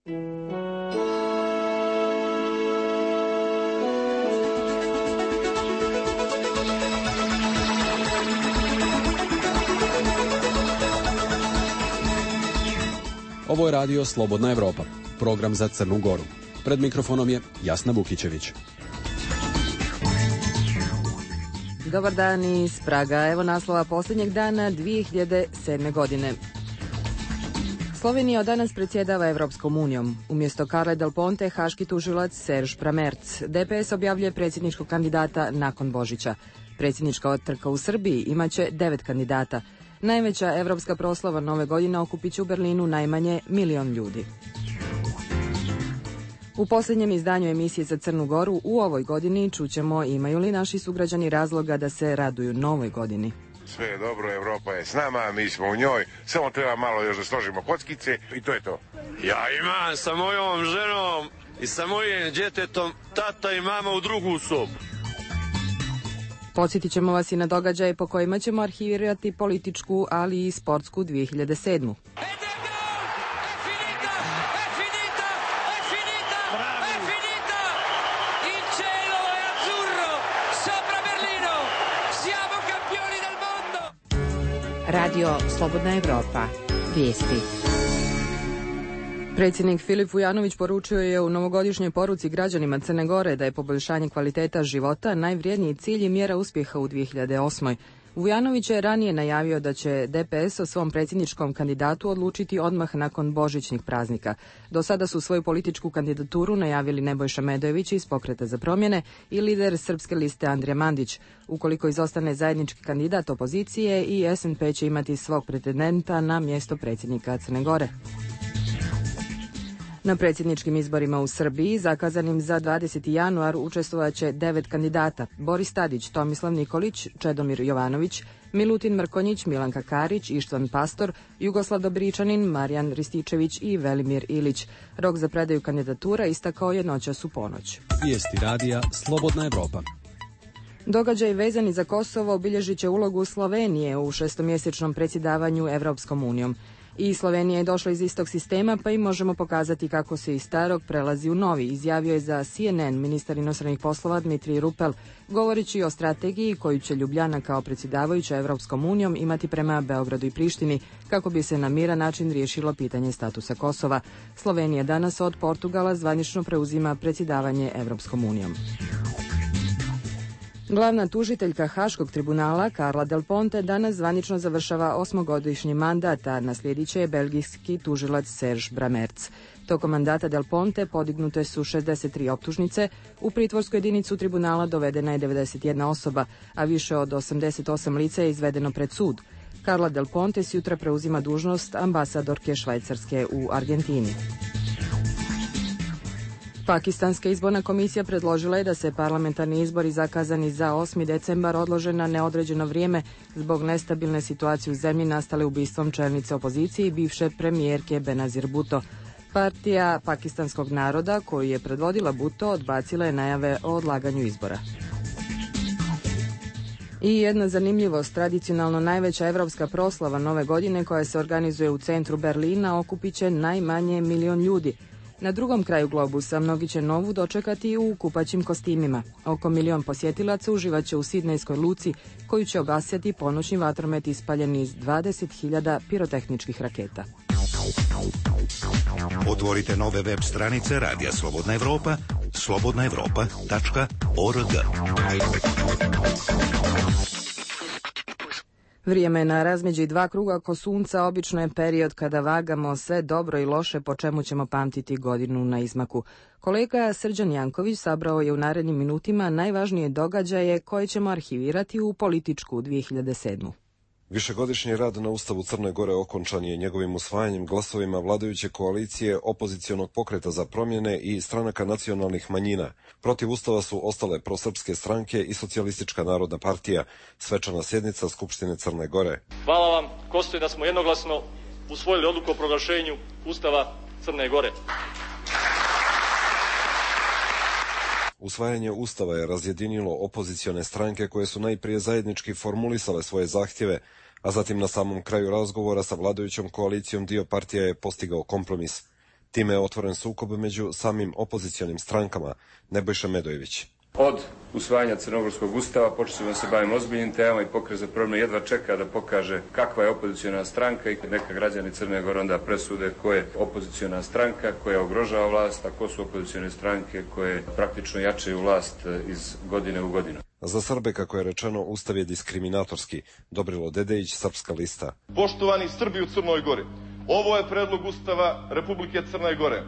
Ovo je radio Slobodna Evropa, program za Crnu Goru. Pred mikrofonom je Jasna Vukićević. Dobar dan iz Praga. Evo naslova posljednjeg dana 2007. godine. Slovenija od danas predsjedava Evropskom unijom. Umjesto Carle Del Ponte, haški tužilac Serge Bramertz. DPS objavljuje predsjedničkog kandidata nakon Božića. Predsjednička trka u Srbiji imaće 9 kandidata. Najveća evropska proslava nove godine okupit će u Berlinu najmanje 1 milion ljudi. U posljednjem izdanju emisije za Crnu Goru u ovoj godini čućemo imaju li naši sugrađani razloga da se raduju novoj godini. Sve je dobro, Evropa je s nama, mi smo u njoj, samo treba malo još da složimo kockice i to je to. Ja imam sa mojom ženom i sa mojim djetetom tata i mama u drugu sobu. Podsjetit ćemo vas i na događaje po kojima ćemo arhivirati političku, ali i sportsku 2007. Radio Slobodna Evropa. Vijesti. Predsjednik Filip Vujanović poručio je u novogodišnjoj poruci građanima Crne Gore da je poboljšanje kvaliteta života najvrijedniji cilj i mjera uspjeha u 2008. Vujanović je ranije najavio da će DPS o svom predsjedničkom kandidatu odlučiti odmah nakon božićnih praznika. Do sada su svoju političku kandidaturu najavili Nebojša Medojević iz Pokreta za promjene i lider Srpske liste Andrija Mandić. Ukoliko izostane zajednički kandidat opozicije, i SNP će imati svog pretendenta na mjesto predsjednika Crne Gore. Na predsjedničkim izborima u Srbiji, zakazanim za 20. januar, učestvovat će 9 kandidata: Boris Tadić, Tomislav Nikolić, Čedomir Jovanović, Milutin Mrkonjić, Milanka Karić, Ištvan Pastor, Jugoslav Dobričanin, Marijan Rističević i Velimir Ilić. Rok za predaju kandidatura istakao je noćas u ponoć. Vijesti radija Slobodna Evropa. Događaj vezani za Kosovo obilježit će ulogu Slovenije u šestomjesečnom predsjedavanju Evropskom unijom. I Slovenija je došla iz istog sistema, pa im možemo pokazati kako se iz starog prelazi u novi, izjavio je za CNN ministar inostranih poslova Dmitrij Rupel, govoreći o strategiji koju će Ljubljana kao predsjedavajuća Evropskom unijom imati prema Beogradu i Prištini, kako bi se na miran način riješilo pitanje statusa Kosova. Slovenija danas od Portugala zvanično preuzima predsjedavanje Evropskom unijom. Glavna tužiteljka Haškog tribunala Carla Del Ponte danas zvanično završava 8-godišnji mandat, a naslijedit će je belgijski tužilac Serge Bramertz. Tokom mandata Del Ponte podignute su 63 optužnice, u pritvorsku jedinicu tribunala dovedena je 91 osoba, a više od 88 lica je izvedeno pred sud. Carla Del Ponte sutra preuzima dužnost ambasadorke Švajcarske u Argentini. Pakistanska izborna komisija predložila je da se parlamentarni izbori zakazani za 8. decembar odlože na neodređeno vrijeme zbog nestabilne situacije u zemlji nastale ubistvom čelnice opozicije i bivše premijerke Benazir Bhutto. Partija pakistanskog naroda, koju je predvodila Bhutto, odbacila je najave o odlaganju izbora. I jedna zanimljivost, tradicionalno najveća evropska proslava nove godine koja se organizuje u centru Berlina okupit će najmanje 1 milion ljudi. Na drugom kraju globusa mnogi će novu dočekati u kupaćim kostimima. Oko 1 milion posjetilaca uživaće u Sidnejskoj luci, koju će obasjati ponoćni vatromet ispaljen iz 20.000 pirotehničkih raketa. Otvorite nove web stranice Radija Slobodna Evropa, slobodnaevropa.org. Vrijeme na razmeđi 2 kruga oko sunca obično je period kada vagamo sve dobro i loše po čemu ćemo pamtiti godinu na izmaku. Kolega Srđan Janković sabrao je u narednim minutima najvažnije događaje koje ćemo arhivirati u političku 2007. Višegodišnji rad na Ustavu Crne Gore okončan je njegovim usvajanjem glasovima vladajuće koalicije, opozicionog pokreta za promjene i stranaka nacionalnih manjina. Protiv Ustava su ostale prosrpske stranke i Socijalistička narodna partija. Svečana sjednica Skupštine Crne Gore. Hvala vam, Kostoje, da smo jednoglasno usvojili odluku o proglašenju Ustava Crne Gore. Usvajanje Ustava je razjedinilo opozicione stranke koje su najprije zajednički formulisale svoje zahtjeve, a zatim na samom kraju razgovora sa vladajućom koalicijom dio partija je postigao kompromis. Time je otvoren sukob među samim opozicionim strankama. Nebojša Medojević. Od usvajanja Crnogorskog ustava počeli da se bavimo ozbiljnim temama i Pokret za promjenu jedva čeka da pokaže kakva je opoziciona stranka i neka građani Crne Gore onda presude ko je opoziciona stranka koja ugrožava vlast, a ko su opozicione stranke koje praktično jačaju vlast iz godine u godinu. Za Srbe, kako je rečeno, ustav je diskriminatorski. Dobrilo Dedejić, Srpska lista. Poštovani Srbi u Crnoj Gori, ovo je predlog ustava Republike Crne Gore.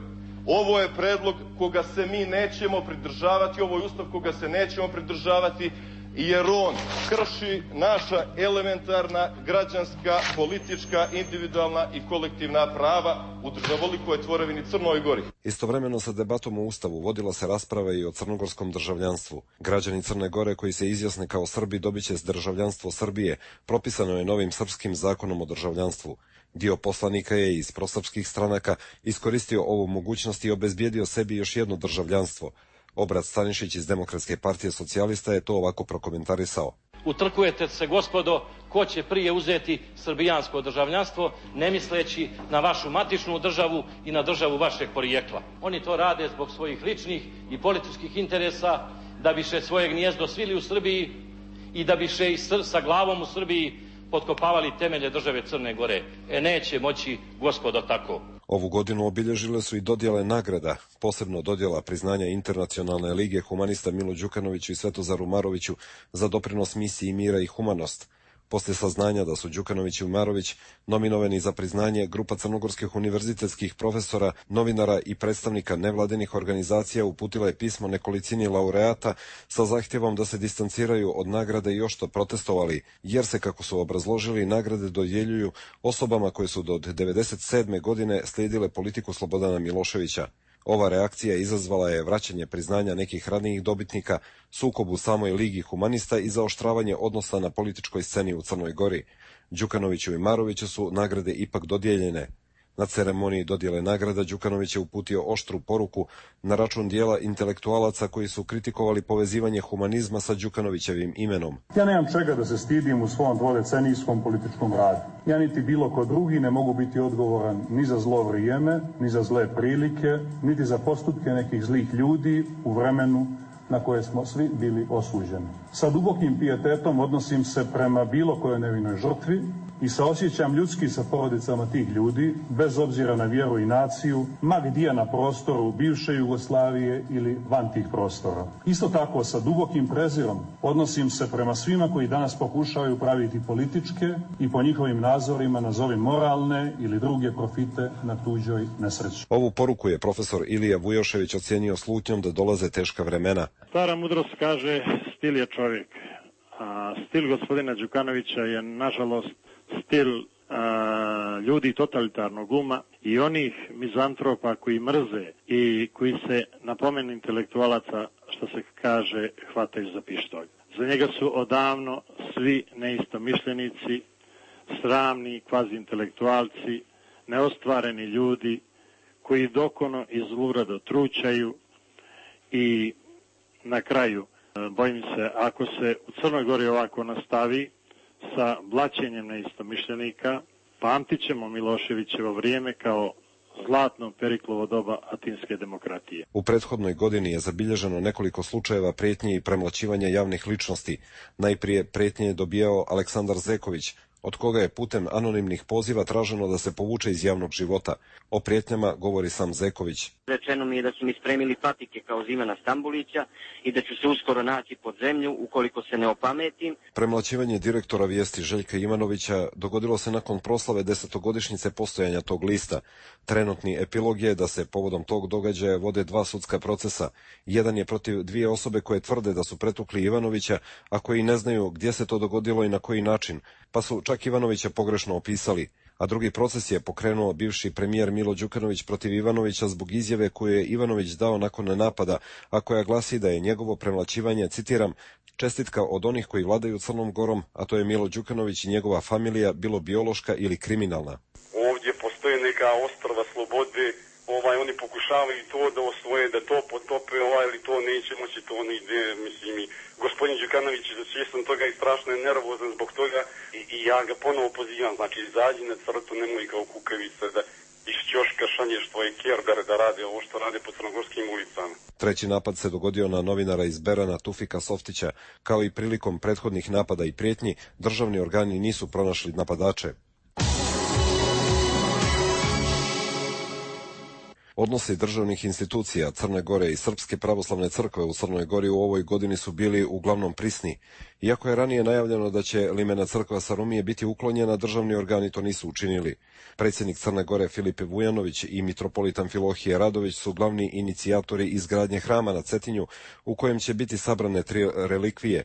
Ovo je predlog koga se mi nećemo pridržavati, ovo je ustav koga se nećemo pridržavati, jer on krši naša elementarna građanska, politička, individualna i kolektivna prava u državolikoj tvorevini Crnoj Gori. Istovremeno sa debatom o ustavu vodila se rasprava i o crnogorskom državljanstvu. Građani Crne Gore koji se izjasne kao Srbi dobit će državljanstvo Srbije, propisano je novim srpskim zakonom o državljanstvu. Dio poslanika je iz prosrpskih stranaka iskoristio ovu mogućnost i obezbijedio sebi još jedno državljanstvo. Obrat Stanišić iz Demokratske partije socijalista je to ovako prokomentarisao. Utrkujete se, gospodo, ko će prije uzeti srbijansko državljanstvo, ne misleći na vašu matičnu državu i na državu vašeg porijekla. Oni to rade zbog svojih ličnih i političkih interesa, da biše svoje gnijezdo svili u Srbiji i da biše i sa glavom u Srbiji potkopavali temelje države Crne Gore. Neće moći, gospodo, tako. Ovu godinu obilježile su i dodjele nagrada, posebno dodjela priznanja Internacionalne lige humanista Milo Đukanoviću i Svetozaru Maroviću za doprinos misiji mira i humanost. Poslije saznanja da su Đukanović i Marović nominovani za priznanje, grupa crnogorskih univerzitetskih profesora, novinara i predstavnika nevladinih organizacija uputila je pismo nekolicini laureata sa zahtjevom da se distanciraju od nagrade i oštro protestovali, jer se, kako su obrazložili, nagrade dodjeljuju osobama koje su do 1997. godine slijedile politiku Slobodana Miloševića. Ova reakcija izazvala je vraćanje priznanja nekih ranijih dobitnika, sukob u samoj Ligi humanista i zaoštravanje odnosa na političkoj sceni u Crnoj Gori. Đukanoviću i Maroviću su nagrade ipak dodijeljene. Na ceremoniji dodjele nagrada Đukanović je uputio oštru poruku na račun dijela intelektualaca koji su kritikovali povezivanje humanizma sa Đukanovićevim imenom. Ja nemam čega da se stidim u svom dvodecenijskom političkom radu. Ja niti bilo ko drugi ne mogu biti odgovoran ni za zlo vrijeme, ni za zle prilike, niti za postupke nekih zlih ljudi u vremenu na koje smo svi bili osuđeni. Sa dubokim pijetetom odnosim se prema bilo kojoj nevinoj žrtvi i saosjećam ljudski sa porodicama tih ljudi, bez obzira na vjeru i naciju, ma gdje na prostoru bivše Jugoslavije ili van tih prostora. Isto tako sa dubokim prezirom odnosim se prema svima koji danas pokušavaju praviti političke i po njihovim nazorima nazovi moralne ili druge profite na tuđoj nesreći. Ovu poruku je profesor Ilija Vujošević ocijenio slutnjom da dolaze teška vremena. Stara mudrost kaže, stil je čovjek. A stil gospodina Đukanovića je, nažalost, stil ljudi totalitarnog uma i onih mizantropa koji mrze i koji se na pomen intelektualaca, što se kaže, hvataju za pištolj. Za njega su odavno svi neistomišljenici, sramni kvazi intelektualci, neostvareni ljudi koji dokono i zlurado trućaju i na kraju, bojim se, ako se u Crnoj Gori ovako nastavi sa blaćenjem neistomišljenika, pamtit ćemo Miloševićevo vrijeme kao zlatno Periklovo doba atinske demokratije. U prethodnoj godini je zabilježeno nekoliko slučajeva prijetnje i premlaćivanja javnih ličnosti. Najprije prijetnje je dobijao Aleksandar Zeković, od koga je putem anonimnih poziva traženo da se povuče iz javnog života. O prijetnjama govori sam Zeković. Rečeno mi je da su mi spremili patike kao Zimana Stambulića i da ću se uskoro naći pod zemlju ukoliko se ne opametim. Premlaćivanje direktora Vijesti Željka Ivanovića dogodilo se nakon proslave 10-godišnjice postojanja tog lista. Trenutni epilog je da se povodom tog događaja vode 2 sudska procesa. Jedan je protiv 2 osobe koje tvrde da su pretukli Ivanovića, a koji ne znaju gdje se to dogodilo i na koji način, pa su čak Ivanovića pogrešno opisali. A drugi proces je pokrenuo bivši premijer Milo Đukanović protiv Ivanovića zbog izjave koju je Ivanović dao nakon napada, a koja glasi da je njegovo premlaćivanje, citiram, čestitka od onih koji vladaju Crnom Gorom, a to je Milo Đukanović i njegova familija, bilo biološka ili kriminalna. Ovdje postoje neka ostrva slobode, oni pokušavaju to da osvoje, da to potope, ali to neće moći, to ne ide, mislim, i gospodin Đukanović je svjestan toga i strašno je nervozan zbog toga i ja ga ponovo pozivam, znači izađi na crtu, nemoj kao kukavica da iz ćoška poslaništvo i Kjergar da radi ovo što radi po crnogorskim ulicama. Treći napad se dogodio na novinara iz Berana Tufika Softića. Kao i prilikom prethodnih napada i prijetnji, državni organi nisu pronašli napadače. Odnosi državnih institucija Crne Gore i Srpske pravoslavne crkve u Crnoj Gori u ovoj godini su bili uglavnom prisni. Iako je ranije najavljeno da će limena crkva Sarumije biti uklonjena, državni organi to nisu učinili. Predsjednik Crne Gore Filipe Vujanović i mitropolit Amfilohije Radović su glavni inicijatori izgradnje hrama na Cetinju, u kojem će biti sabrane 3 relikvije.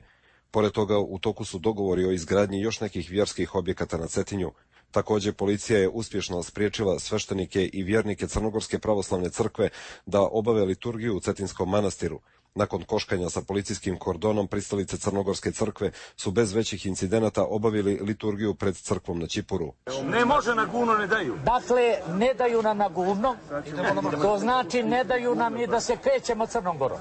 Pored toga, u toku su dogovori o izgradnji još nekih vjerskih objekata na Cetinju. Također, policija je uspješno spriječila sveštenike i vjernike Crnogorske pravoslavne crkve da obave liturgiju u Cetinskom manastiru. Nakon koškanja sa policijskim kordonom, pristalice Crnogorske crkve su bez većih incidenata obavili liturgiju pred crkvom na Čipuru. Ne može na guno, ne daju. Dakle, ne daju nam na guno, to znači ne daju nam i da se krećemo Crnom Gorom.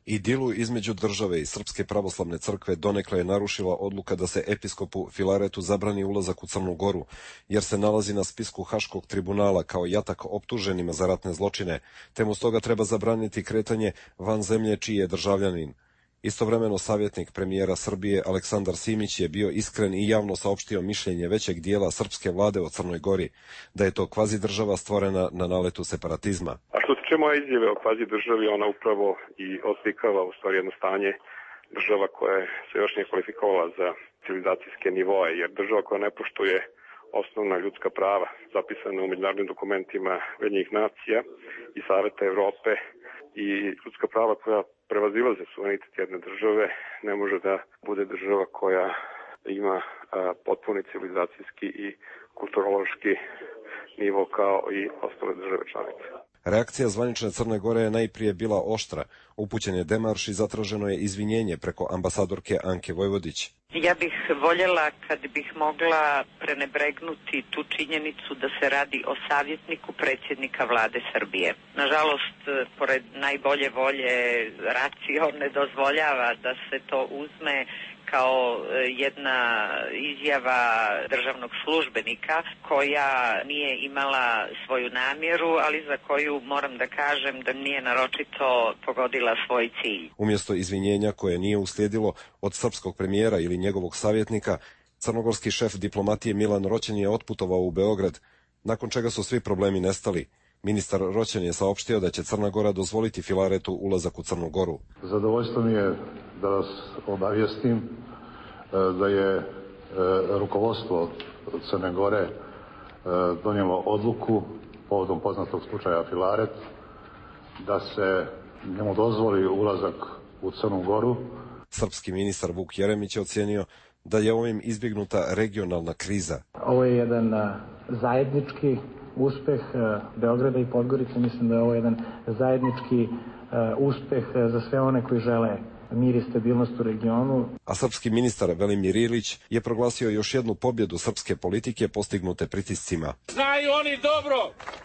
Idilu između države i Srpske pravoslavne crkve donekle je narušila odluka da se episkopu Filaretu zabrani ulazak u Crnu Goru, jer se nalazi na spisku Haškog tribunala kao jatak optuženima za ratne zločine, te mu stoga treba zabraniti kretanje van zemlje čiji je državljanin. Istovremeno savjetnik premijera Srbije Aleksandar Simić je bio iskren i javno saopštio mišljenje većeg dijela srpske vlade o Crnoj Gori, da je to kvazi država stvorena na naletu separatizma. A što se tiče moje izjave o kvazi državi, ona upravo i oslikava u stvari jedno stanje država koja se još nije kvalifikovala za civilizacijske nivoe, jer država koja ne poštuje osnovna ljudska prava zapisana u međunarodnim dokumentima Ujedinjenih nacija i Saveta Evrope i ljudska prava koja prevazilaze suverenitet jedne države, ne može da bude država koja ima potpuni civilizacijski i kulturološki nivo kao i ostale države članice. Reakcija zvanične Crne Gore je najprije bila oštra. Upućen je demarš i zatraženo je izvinjenje preko ambasadorke Anke Vojvodić. Ja bih voljela kad bih mogla prenebregnuti tu činjenicu da se radi o savjetniku predsjednika vlade Srbije. Nažalost, pored najbolje volje racio ne dozvoljava da se to uzme kao jedna izjava državnog službenika koja nije imala svoju namjeru, ali za koju moram da kažem da nije naročito pogodila svoj cilj. Umjesto izvinjenja koje nije uslijedilo od srpskog premijera ili njegovog savjetnika, crnogorski šef diplomatije Milan Roćen je otputovao u Beograd, nakon čega su svi problemi nestali. Ministar Roćen je saopštio da će Crna Gora dozvoliti Filaretu ulazak u Crnu Goru. Zadovoljstvo mi je da vas obavijestim da je rukovodstvo Crne Gore donijelo odluku povodom poznatog slučaja Filaret da se njemu dozvoli ulazak u Crnu Goru. Srpski ministar Vuk Jeremić je ocijenio da je ovim izbjegnuta regionalna kriza. Ovo je jedan zajednički uspeh Beograda i Podgorice. Mislim da je ovo jedan zajednički uspeh za sve one koji žele mir i stabilnost u regionu. A srpski ministar Velimir Ilić je proglasio još jednu pobjedu srpske politike postignute pritiscima. Znaju oni dobro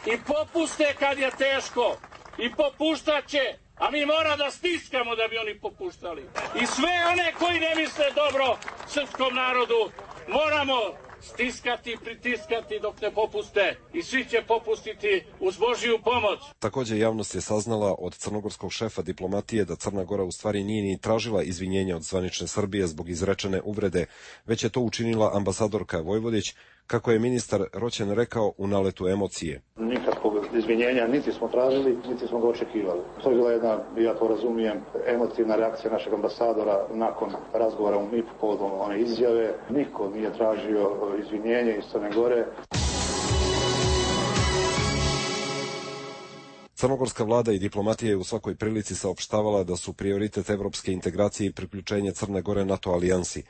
i popuste kad je teško i popuštat će, a mi mora da stiskamo da bi oni popuštali. I sve one koji ne misle dobro srpskom narodu moramo stiskati, pritiskati dok ne popuste i svi će popustiti uz Božiju pomoć. Također javnost je saznala od crnogorskog šefa diplomatije da Crna Gora u stvari nije ni tražila izvinjenja od zvanične Srbije zbog izrečene uvrede, već je to učinila ambasadorka Vojvodić, kako je ministar Roćen rekao u naletu emocije. Nikakvog izvinjenja niti smo tražili, niti smo ga očekivali. To je bila jedna, ja to razumijem, emotivna reakcija našeg ambasadora nakon razgovora u MIP povodom one izjave. Niko nije tražio izvinjenje iz Crne Gore. Crnogorska vlada i diplomatija je u svakoj prilici saopštavala da su prioritet evropske integracije i priključenje Crne Gore NATO alijansi.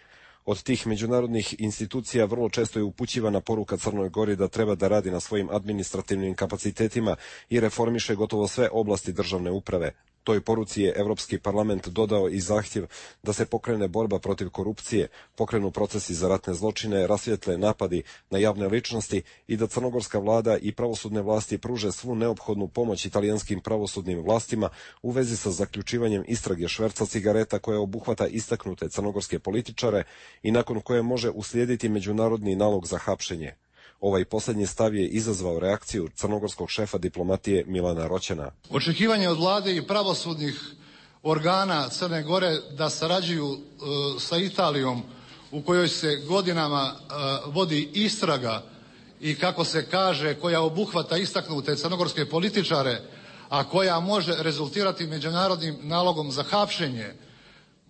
Od tih međunarodnih institucija vrlo često je upućivana poruka Crnoj Gori da treba da radi na svojim administrativnim kapacitetima i reformiše gotovo sve oblasti državne uprave. Toj poruci je Evropski parlament dodao i zahtjev da se pokrene borba protiv korupcije, pokrenu procesi za ratne zločine, rasvijetle napadi na javne ličnosti i da crnogorska vlada i pravosudne vlasti pruže svu neophodnu pomoć italijanskim pravosudnim vlastima u vezi sa zaključivanjem istrage šverca cigareta koja obuhvata istaknute crnogorske političare i nakon koje može uslijediti međunarodni nalog za hapšenje. Ovaj posljednji stav je izazvao reakciju crnogorskog šefa diplomatije Milana Roćena. Očekivanje od vlade i pravosudnih organa Crne Gore da sarađuju sa Italijom u kojoj se godinama vodi istraga i kako se kaže koja obuhvata istaknute crnogorske političare, a koja može rezultirati međunarodnim nalogom za hapšenje,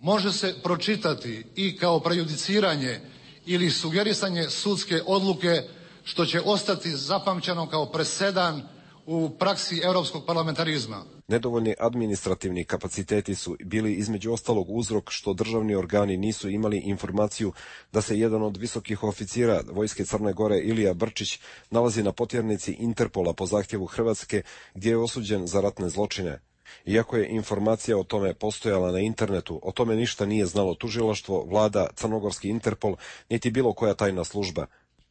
može se pročitati i kao prejudiciranje ili sugerisanje sudske odluke što će ostati zapamćeno kao presedan u praksi europskog parlamentarizma. Nedovoljni administrativni kapaciteti su bili između ostalog uzrok što državni organi nisu imali informaciju da se jedan od visokih oficira Vojske Crne Gore, Ilija Brčić, nalazi na potjernici Interpola po zahtjevu Hrvatske gdje je osuđen za ratne zločine. Iako je informacija o tome postojala na internetu, o tome ništa nije znalo tužilaštvo, vlada, crnogorski Interpol, niti bilo koja tajna služba.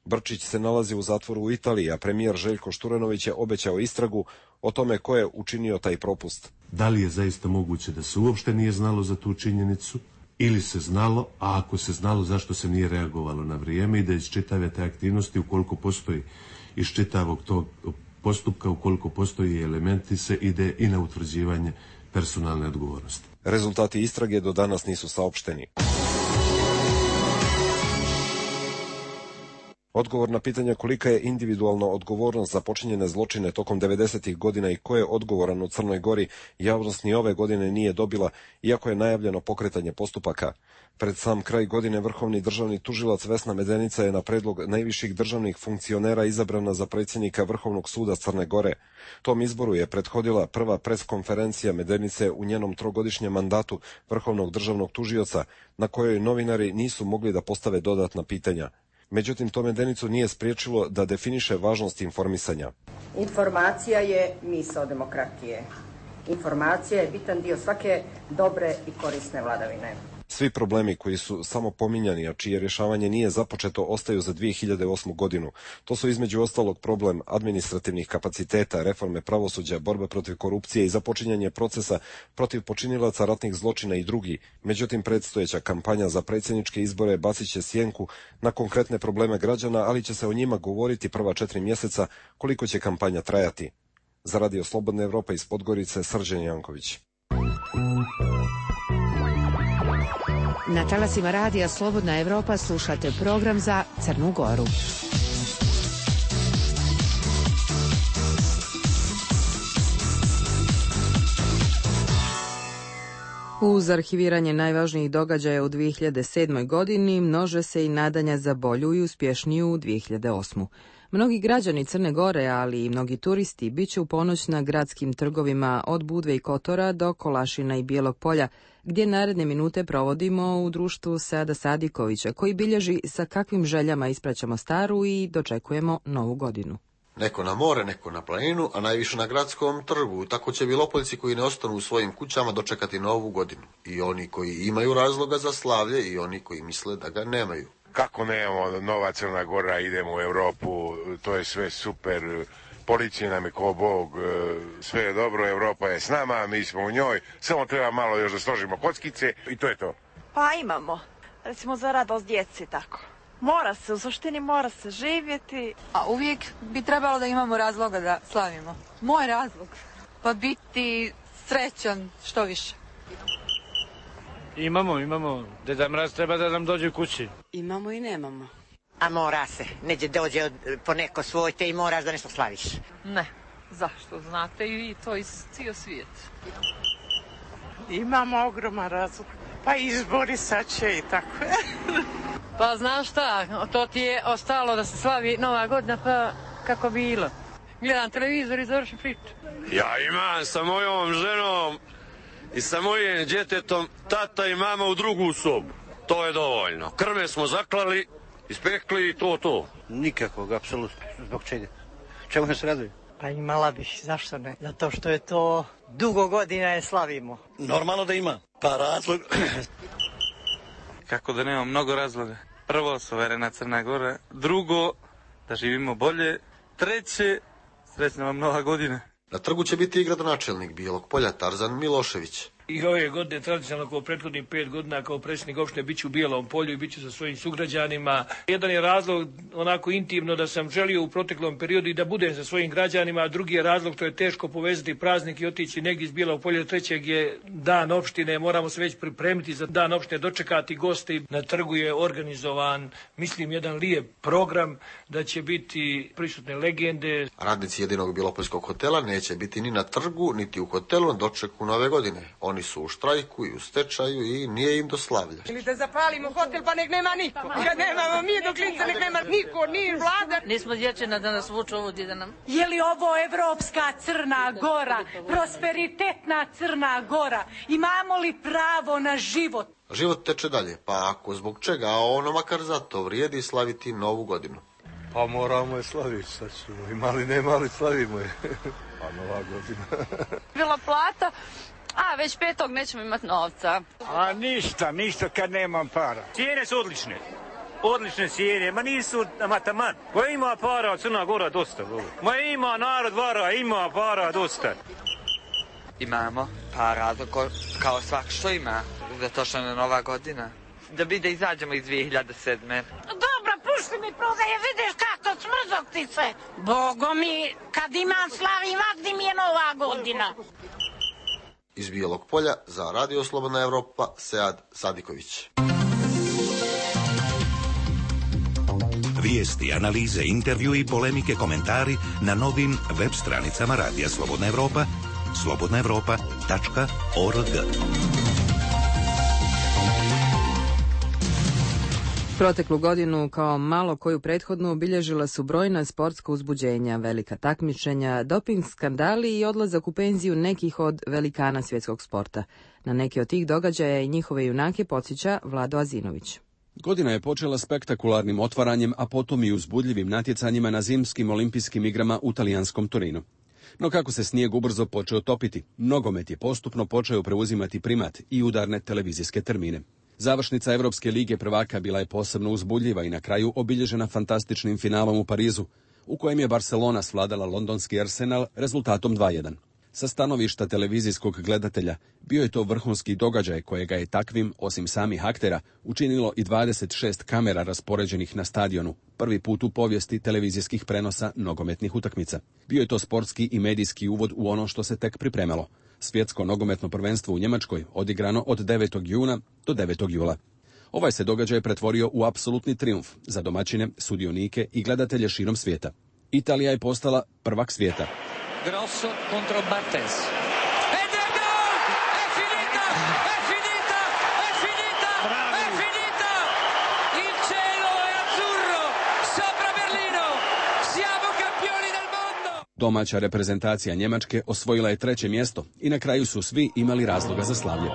Brčić se nalazi u zatvoru u Italiji, a premijer Željko Šturanović je obećao istragu o tome ko je učinio taj propust. Da li je zaista moguće da se uopšte nije znalo za tu činjenicu ili se znalo, a ako se znalo zašto se nije reagovalo na vrijeme i da iz čitave te aktivnosti, ukoliko postoji iz čitavog tog postupka, ukoliko postoji elementi, se ide i na utvrđivanje personalne odgovornosti. Rezultati istrage do danas nisu saopšteni. Odgovor na pitanje kolika je individualna odgovornost za počinjene zločine tokom 90-ih godina i ko je odgovoran u Crnoj Gori, javnost ni ove godine nije dobila, iako je najavljeno pokretanje postupaka. Pred sam kraj godine vrhovni državni tužilac Vesna Medenica je na predlog najviših državnih funkcionera izabrana za predsjednika Vrhovnog suda Crne Gore. Tom izboru je prethodila prva preskonferencija Medenice u njenom trogodišnjem mandatu vrhovnog državnog tužioca, na kojoj novinari nisu mogli da postave dodatna pitanja. Međutim, to Medenicu nije spriječilo da definiše važnost informisanja. Informacija je misao demokratije. Informacija je bitan dio svake dobre i korisne vladavine. Svi problemi koji su samo pominjani, a čije rješavanje nije započeto, ostaju za 2008. godinu. To su između ostalog problem administrativnih kapaciteta, reforme pravosuđa, borbe protiv korupcije i započinjanje procesa protiv počinilaca ratnih zločina i drugi. Međutim, predstojeća kampanja za predsjedničke izbore bacit će sjenku na konkretne probleme građana, ali će se o njima govoriti prva 4 mjeseca koliko će kampanja trajati. Za Radio Slobodna Evropa iz Podgorice, Srđan Janković. Na talasima Radija Slobodna Evropa slušate program za Crnu Goru. Uz arhiviranje najvažnijih događaja u 2007. godini množe se i nadanja za bolju i uspješniju 2008. Mnogi građani Crne Gore, ali i mnogi turisti, bit će u ponoć na gradskim trgovima od Budve i Kotora do Kolašina i Bijelog polja, gdje naredne minute provodimo u društvu Seada Sadikovića, koji bilježi sa kakvim željama ispraćamo staru i dočekujemo novu godinu. Neko na more, neko na planinu, a najviše na gradskom trgu. Tako će Bilopoljci koji ne ostanu u svojim kućama dočekati novu godinu. I oni koji imaju razloga za slavlje i oni koji misle da ga nemaju. Kako nemamo nova Crna Gora, idemo u Europu, to je sve super, policija nam je ko Bog, sve je dobro, Europa je s nama, mi smo u njoj, samo treba malo još da složimo kockice i to je to. Pa imamo, recimo za radost djeci tako. Mora se, u suštini mora se živjeti. A uvijek bi trebalo da imamo razloga da slavimo. Moj razlog, pa biti srećan što više. Imamo. Deda Mraz treba da nam dođe u kući. Imamo i nemamo. A mora se. Neđe dođe po neko svoj te i moraš da nešto slaviš. Ne. Zašto? Znate i to iz cijel svijet. Imamo ogroman razlog. Pa izbori sad će i tako. Pa znaš šta, to ti je ostalo da se slavi Nova godina, pa kako bilo. Gledam televizor i završim priču. Ja imam sa mojom ženom i sa mojim djetetom tata i mama u drugu sobu. To je dovoljno. Krme smo zaklali, ispekli i to. Nikakvog, apsolutno. Zbog čega? Čemu se raduje? Pa imala bih, zašto ne? Zato što je to dugo godina je slavimo. Normalno da ima, pa razlog... Kako da nema mnogo razloga. Prvo, suverena Crna Gora. Drugo, da živimo bolje. Treće, srećna vam nova godina. Na trgu će biti i gradonačelnik Bijelog Polja Tarzan Milošević. I ove godine, tradicionalno kao prethodnih 5 godina, kao predsjednik opštine bit ću u Bijelom Polju i bit ću sa svojim sugrađanima. Jedan je razlog onako intimno da sam želio u proteklom periodu i da budem sa svojim građanima, a drugi je razlog to je teško povezati praznik i otići negdje iz Bijelog Polja. Trećeg je dan opštine, moramo se već pripremiti za dan opštine, dočekati goste. Na trgu je organizovan, mislim, jedan lijep program da će biti prisutne legende. Radnici jedinog Bjelopoljskog hotela neće biti ni na trgu, niti u hotelu na dočeku nove godine. Oni su u štrajku i u stečaju i nije im do slavlja. Ili da zapalimo hotel pa nek nema niko. Kad nemamo mi do klinca nek nema niko, ni vlada. Nismo dječina da nas vuču ovdje da nam... Je li ovo evropska Crna Gora, prosperitetna Crna Gora? Imamo li pravo na život? Život teče dalje, pa ako zbog čega, a ono makar zato vrijedi slaviti novu godinu. Pa moramo je slaviti, sad ćemo. Imali, nemali, slavimo je. Pa nova godina. Bila plata, a već 5. nećemo imati novca. A ništa kad nemam para. Cijene su odlične. Odlične cijene, ma nisu taman. Ko ima para, Crna Gora dosta. Ma ima narod vara, ima para dosta. Imamo para, kao svak što ima, zato što je nova godina. Da bi da izađemo iz 2007. Dobro, pušti mi prodaje, vidiš kako smrzok ti se. Bogo mi, kad imam slavim, vakdi mi je nova godina. Iz Bijelog Polja za Radio Slobodna Evropa, Sead Sadiković. Vijesti, analize, intervju i polemike, komentari na novim web stranicama Radija Slobodna Evropa, slobodnaevropa.org. Proteklu godinu, kao malo koju prethodnu, obilježila su brojna sportska uzbuđenja, velika takmičenja, doping skandali i odlazak u penziju nekih od velikana svjetskog sporta. Na neki od tih događaja i njihove junake podsjeća Vlado Azinović. Godina je počela spektakularnim otvaranjem, a potom i uzbudljivim natjecanjima na zimskim olimpijskim igrama u talijanskom Torinu. No kako se snijeg ubrzo počeo topiti, nogomet je postupno počeo preuzimati primat i udarne televizijske termine. Završnica Evropske lige prvaka bila je posebno uzbudljiva i na kraju obilježena fantastičnim finalom u Parizu, u kojem je Barcelona svladala londonski Arsenal rezultatom 2:1. Sa stanovišta televizijskog gledatelja bio je to vrhunski događaj kojega je takvim, osim samih aktera, učinilo i 26 kamera raspoređenih na stadionu, prvi put u povijesti televizijskih prenosa nogometnih utakmica. Bio je to sportski i medijski uvod u ono što se tek pripremalo. Svjetsko nogometno prvenstvo u Njemačkoj odigrano od 9. juna do 9. jula. Ovaj se događaj pretvorio u apsolutni trijumf za domaćine, sudionike i gledatelje širom svijeta. Italija je postala prvak svijeta. Grosso contro Bartes. Ed è gol! È finita! È finita! È finita! È finita! Il cielo è azzurro sopra Berlino. Siamo campioni del mondo! Domaća reprezentacija Njemačke osvojila je 3. mjesto i na kraju su svi imali razloga za slavlje.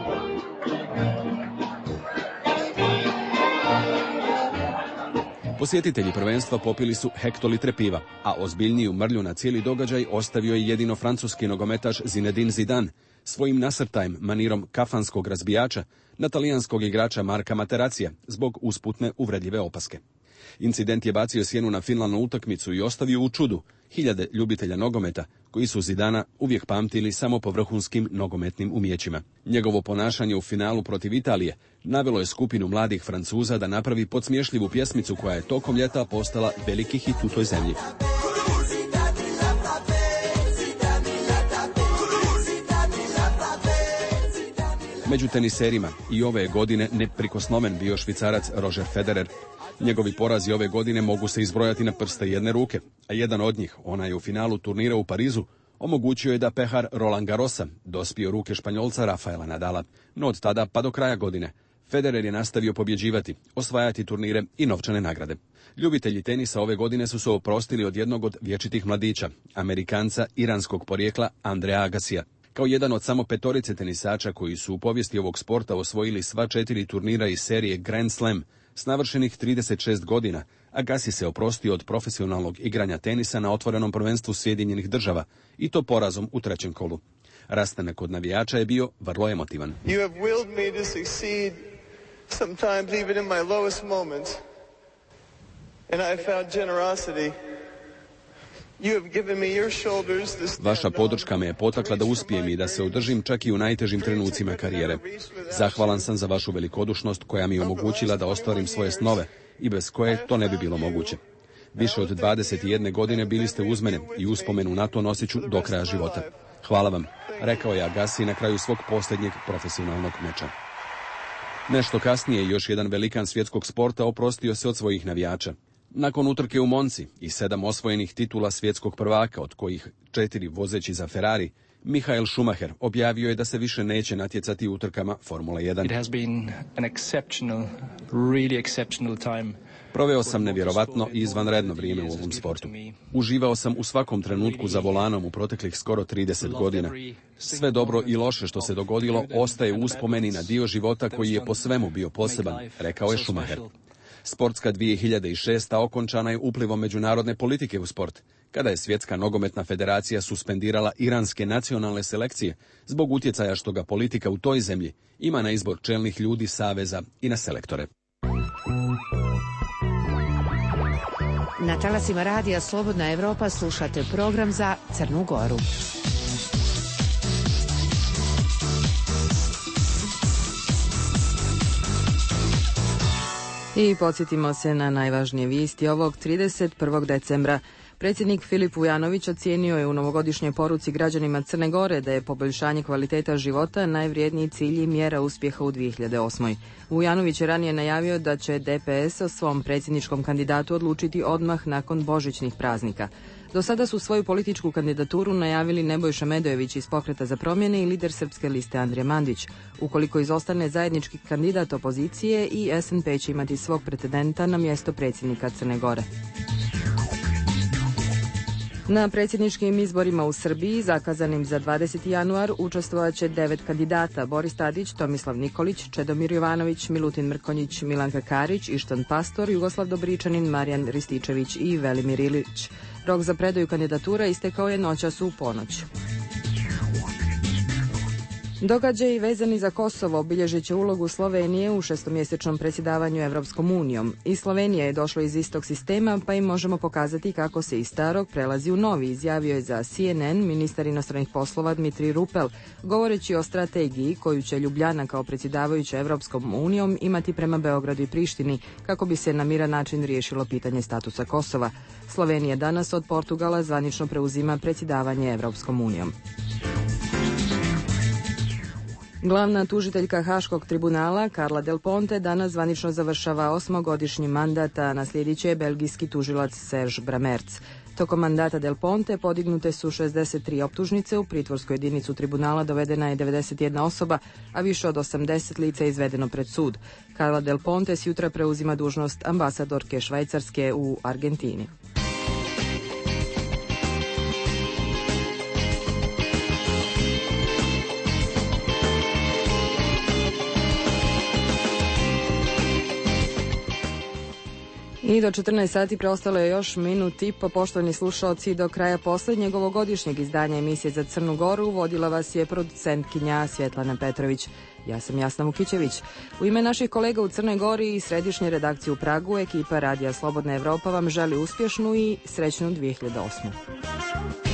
Posjetitelji prvenstva popili su hektolitre piva, a ozbiljniju mrlju na cijeli događaj ostavio je jedino francuski nogometaš Zinedine Zidane svojim nasrtajem manirom kafanskog razbijača na talijanskog igrača Marka Materacija zbog usputne uvredljive opaske. Incident je bacio sjenu na finalnu utakmicu i ostavio u čudu hiljade ljubitelja nogometa koji su Zidana uvijek pamtili samo po vrhunskim nogometnim umijećima. Njegovo ponašanje u finalu protiv Italije navelo je skupinu mladih Francuza da napravi podsmješljivu pjesmicu koja je tokom ljeta postala veliki hit u toj zemlji. Među teniserima i ove godine neprikosnoven bio Švicarac Roger Federer. Njegovi porazi ove godine mogu se izbrojati na prste jedne ruke, a jedan od njih, onaj u finalu turnira u Parizu, omogućio je da pehar Roland Garrosa dospije u ruke Španjolca Rafaela Nadala. No od tada pa do kraja godine Federer je nastavio pobjeđivati, osvajati turnire i novčane nagrade. Ljubitelji tenisa ove godine su se oprostili od jednog od vječitih mladića, Amerikanca iranskog porijekla Andrea Agassija. Kao jedan od samo 5 tenisača koji su u povijesti ovog sporta osvojili sva 4 turnira iz serije Grand Slam, s navršenih 36 godina, Agassi se oprostio od profesionalnog igranja tenisa na otvorenom prvenstvu Sjedinjenih Država i to porazom u trećem kolu. Rastanak od navijača je bio vrlo emotivan. You have willed me to succeed sometimes even in my lowest moments. And I have found generosity. You have given me your shoulders to stand. Vaša podrška me je potakla da uspijem i da se održim čak i u najtežim trenucima karijere. Zahvalan sam za vašu velikodušnost koja mi je omogućila da ostvarim svoje snove i bez koje to ne bi bilo moguće. Više od 21 godine bili ste uz mene i uspomenu na to nosit ću do kraja života. Hvala vam, rekao je Agassi na kraju svog posljednjeg profesionalnog meča. Nešto kasnije još jedan velikan svjetskog sporta oprostio se od svojih navijača. Nakon utrke u Monci i 7 osvojenih titula svjetskog prvaka, od kojih 4 vozeći za Ferrari, Michael Schumacher objavio je da se više neće natjecati u utrkama Formule 1. It has been an really exceptional time. Proveo sam nevjerovatno i izvanredno vrijeme u ovom sportu. Uživao sam u svakom trenutku za volanom u proteklih skoro 30 godina. Sve dobro i loše što se dogodilo ostaje u uspomeni na dio života koji je po svemu bio poseban, rekao je Schumacher. Sportska 2006. okončana je uplivom međunarodne politike u sport, kada je Svjetska nogometna federacija suspendirala iranske nacionalne selekcije zbog utjecaja što ga politika u toj zemlji ima na izbor čelnih ljudi saveza i na selektore. Na talasima radija Slobodna Evropa slušate program za Crnu Goru. I podsjetimo se na najvažnije vijesti ovog 31. decembra. Predsjednik Filip Vujanović ocijenio je u novogodišnjoj poruci građanima Crne Gore da je poboljšanje kvaliteta života najvrijedniji cilj i mjera uspjeha u 2008. Vujanović je ranije najavio da će DPS o svom predsjedničkom kandidatu odlučiti odmah nakon božićnih praznika. Do sada su svoju političku kandidaturu najavili Nebojša Medojević iz Pokreta za promjene i lider Srpske liste Andrija Mandić. Ukoliko izostane zajednički kandidat opozicije, i SNP će imati svog pretendenta na mjesto predsjednika Crne Gore. Na predsjedničkim izborima u Srbiji, zakazanim za 20. januar, učestvovat će 9 kandidata: Boris Tadić, Tomislav Nikolić, Čedomir Jovanović, Milutin Mrkonjić, Milanka Karić, Ištan Pastor, Jugoslav Dobričanin, Marijan Rističević i Velimir Ilić. Rok za predaju kandidatura istekao je noćas u ponoć. Događaji vezani za Kosovo obilježit će ulogu Slovenije u šestomjesečnom predsjedavanju Evropskom unijom. I Slovenija je došla iz istog sistema, pa im možemo pokazati kako se iz starog prelazi u novi, izjavio je za CNN ministar inostranih poslova Dmitrij Rupel, govoreći o strategiji koju će Ljubljana kao predsjedavajuća Evropskom unijom imati prema Beogradu i Prištini, kako bi se na miran način riješilo pitanje statusa Kosova. Slovenija danas od Portugala zvanično preuzima predsjedavanje Evropskom unijom. Glavna tužiteljka Haškog tribunala Carla Del Ponte danas zvanično završava 8-godišnji mandat, a naslijedit će belgijski tužilac Serge Bramertz. Tokom mandata Del Ponte podignute su 63 optužnice, u pritvorsku jedinicu tribunala dovedena je 91 osoba, a više od 80 lica je izvedeno pred sud. Carla Del Ponte s jutra preuzima dužnost ambasadorke Švajcarske u Argentini. I do 14 sati preostalo je još minut i po, poštovani slušalci, do kraja posljednjeg ovogodišnjeg izdanja emisije za Crnu Goru. Vodila vas je producentkinja Svjetlana Petrović. Ja sam Jasna Vukićević. U ime naših kolega u Crnoj Gori i središnje redakcije u Pragu, ekipa Radija Slobodna Evropa vam želi uspješnu i srećnu 2008.